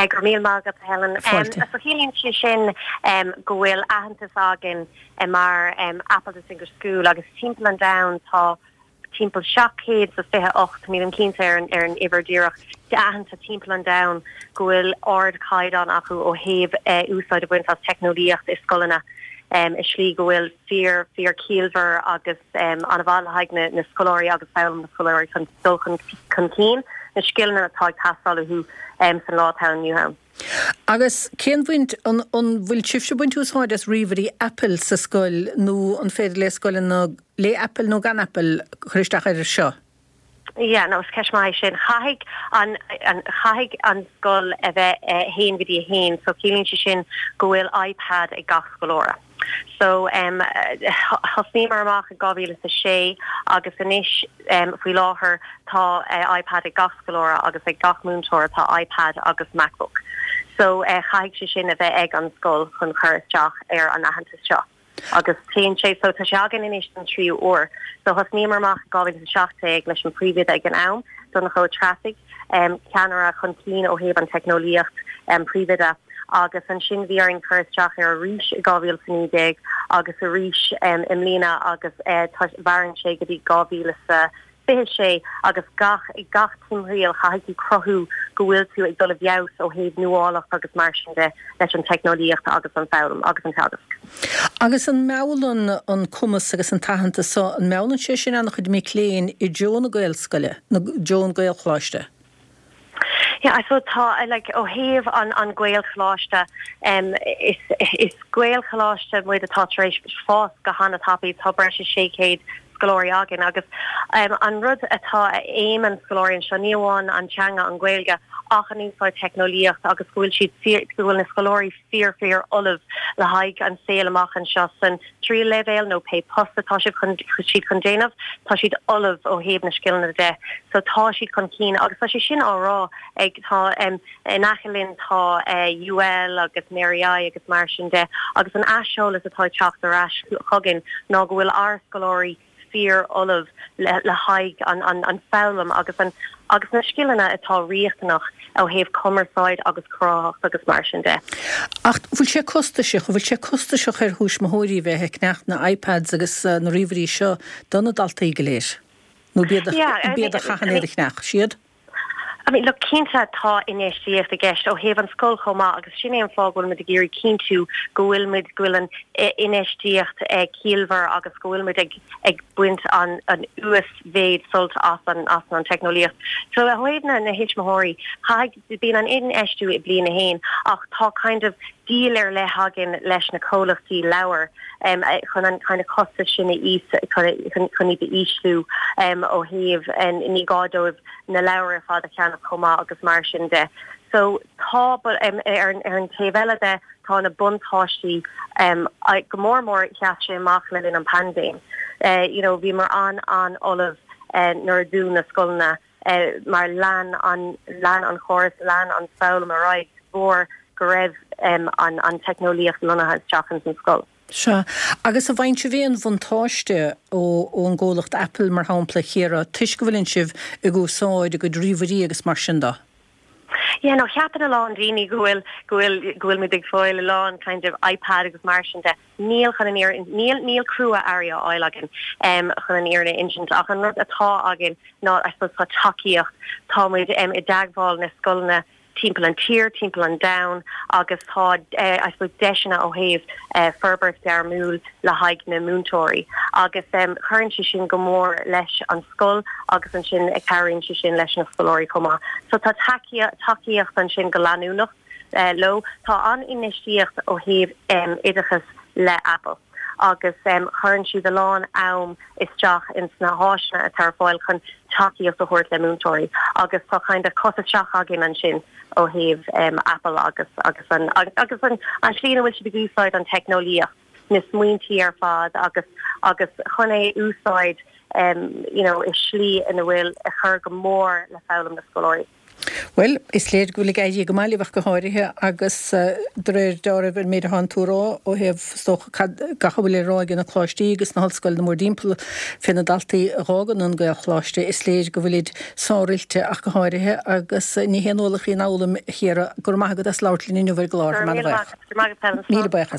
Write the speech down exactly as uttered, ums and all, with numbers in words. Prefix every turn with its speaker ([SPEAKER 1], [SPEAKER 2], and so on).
[SPEAKER 1] Go raibh míle maith agat Helen.
[SPEAKER 2] Fáilte.
[SPEAKER 1] So ciallaíonn sé sin um, go bhfuil aitheantas againn um, mar um, Apple Distinguished School agus timpeall an domhain tá timpeall seacht céad sa fiche ocht níl mé cinnte ar an ar an uimhir díreach de aitheanta timpeall an domhain go bhfuil ardchaighdeán acu ó thaobh uh, úsáid a bhaint as teicneolaíocht i scoileanna um, i slí go bhfuil fíor fíor ciallmhar agus um, an-mhaith le haghaidh na, na scoláirí agus foghlaim na scoláirí chun dul chun chun cinn na scileanna atá ag teastáil uathu um, san lá atá inniu ann.
[SPEAKER 2] Agus cén bhaint an an bhfuil sibhse ag baint úsáid as ríomhairí Apple sa scoil nó an féidir le scoileanna le Apple nó gan Apple chur isteach air seo?
[SPEAKER 1] Ja, no is ceist mhaith sin caithfidh an an caithfidh an scoil a bheith uh, haon go dtí a haon, so ciallaíonn sé sin go bhfuil iPad ag gach scoláire. So um, thosnaíomar amach i dhá mhíle a sé agus anois um, faoi láthair tá uh, iPad ag gach scoláire agus ag gach múinteoir tá iPad agus MacBook. So uh, caithfidh sé sin a bheith ag an scoil chun chur isteach ar an aitheantas seo. agus téann sé so tá sé againn anois an tríú huair. So thosnaíomar amach dhá mhíle seacht leis an príomhoide ag an am Donncha Ó Treasaigh um, ceannaire chun cinn ó thaobh an teicneolaíocht um, príomhoide agus ansin bhí orainn cur isteach ar arís i dhá mhíle naoi déag agus arís um, i mbliana agus uh, maireann sé go dtí dhá mhíle sa fiche sé agus gach gach timthriall caithfidh tú cruthú go bhfuil tú ag dul i bhfeabhas ó thaobh nuálacht agus mar sin de leis an teicneolaíocht agus an foghlaim agus an teagasc.
[SPEAKER 2] Agus an meallann an cumas agus an t-aitheantas so an meallann sé sin an-chuid mic léinn i dtreo na Gaelscoile nó i dtreo an Ghaelcholáiste.
[SPEAKER 1] Yeah, I suppose tá like ó thaobh an an Gaelcholáiste um, is is Gaelcholáiste muid atá tar éis fás go han-tapaidh tá breis is sé chéad scoláirí againn agus um, an rud atá aim an scoláirí seo ní amháin an teanga an Ghaeilge ach an úsáid teicneolaíocht agus go bhfuil siad go bhfuil na scoláirí fíor fíor ullamh le haghaidh an saol amach anseo san tríú leibhéal nó pé post atá siad chun siad chun déanamh tá siad ullamh ó thaobh na scileanna de so tá siad chun cinn agus tá sé sin á rá ag tá um, in aice linn tá uh, UL agus Mary I agus mar sin de agus an aiseolas atá teacht ar ais chugainn ná go bhfuil ár scoláirí fíor ullamh le, le haghaidh an, an, an foghlaim agus an agus na scileanna atá riachtanach ó thaobh cumarsáid agus cruthaitheacht agus mar sin de.
[SPEAKER 2] Ach bhfuil sé costasach bhfuil sé costasach ar thuismitheoirí bheith ag ceannach na iPads agus uh, na ríomhairí seo do na daltaí go léir. Nó b'iad a chaitheann iad a cheannach siad?
[SPEAKER 1] I mean, look cinnte tá infheistíocht i gceist ó thaobh an scoil chomh maith agus sin é an fáth go bhfuil muid ag iarraidh cinntiú go bhfuil muid go bhfuil an infheistíocht ag ciallmhar agus go bhfuil muid ag ag baint an an uasmhéid sult as an as an teicneolaíocht. So ó thaobh na na tuismitheoirí bíonn an infheistiú i bliain a haon ach tá kind of deal ar leith againn leis na comhlachtaí leabhar um, chun an kind of costas sin a is chun iad a ísliú um, ó thaobh ní gá dóibh na leabhair ar fad a cheannach chomh maith agus mar sin de. So tá um, ar, ar an taobh eile de tá na buntáistí um, go mór mór sheas sé amach le linn an paindéim. Uh, you know, bhíomar an an ullamh uh, nuair a dúnadh na scoileanna uh, mar lean an lean an chóras lean an foghlaim ar aghaidh mhór go raibh um, an, an teicneolaíocht lonnaithe isteach san scoil.
[SPEAKER 2] Sea agus an bhfaigheann sibh aon bhuntáiste ó ón gcomhlacht Apple mar shampla Ciara toisc go bhfuil sibh ag úsáid a gcuid ríomhairí agus mar sin de.
[SPEAKER 1] Ja no ceapann a lán daoine go bhfuil go bhfuil go bhfuil muid ag fáil a lán kind of iPad agus mar sin de níl chun an níl níl crua-earraí á fháil againn um, chun an fhírinne a insint ach an rud atá againn ná I suppose tá tacaíocht tá muid um, i dteagmháil na scoileanna timpeall an tír timpeall an domhain agus tá uh, I suppose deiseanna ó thaobh uh, forbairt ghairmiúil le haghaidh na múinteoirí agus um, chuireann sé sin go mór leis an scoil agus ansin ag cabhraíonn sé sin leis na scoláirí chomh maith. So tá tacaíocht ansin go leanúnach uh, leo tá an infheistíocht ó thaobh um, oideachas le Apple. agus um, chuireann siad a lán am isteach in sna háiseanna atá ar fáil chun tacaíocht a thabhairt le múinteoirí agus tá kind of cos isteach againn ansin ó thaobh um, Apple agus agus an agus an an slí ina bhfuil siad ag úsáid an teicneolaíocht na smaointí ar fad agus agus chun é úsáid um, you know, i slí ina bhfuil a chur go mór le foghlaim na scoláirí.
[SPEAKER 2] Well, is léir go bhfuil ag éirí go maith libh ach go háirithe agus de réir dealraimh ar méid atánn tú a rá ó thaobh is dócha cad gach a bhfuil le rá ag na coláistí agus na hollscoileanna mórthimpeall fé na daltaí a dh'fhágann an Gaelcholáiste, is léir go bhfuilid sároilte ach go háirithe agus ní haon ualach í an fhoghlaim a Chiara. Go raibh maith agat as labhairt linn inniu ar an gclár. Míle buíoch. Míle buíochas.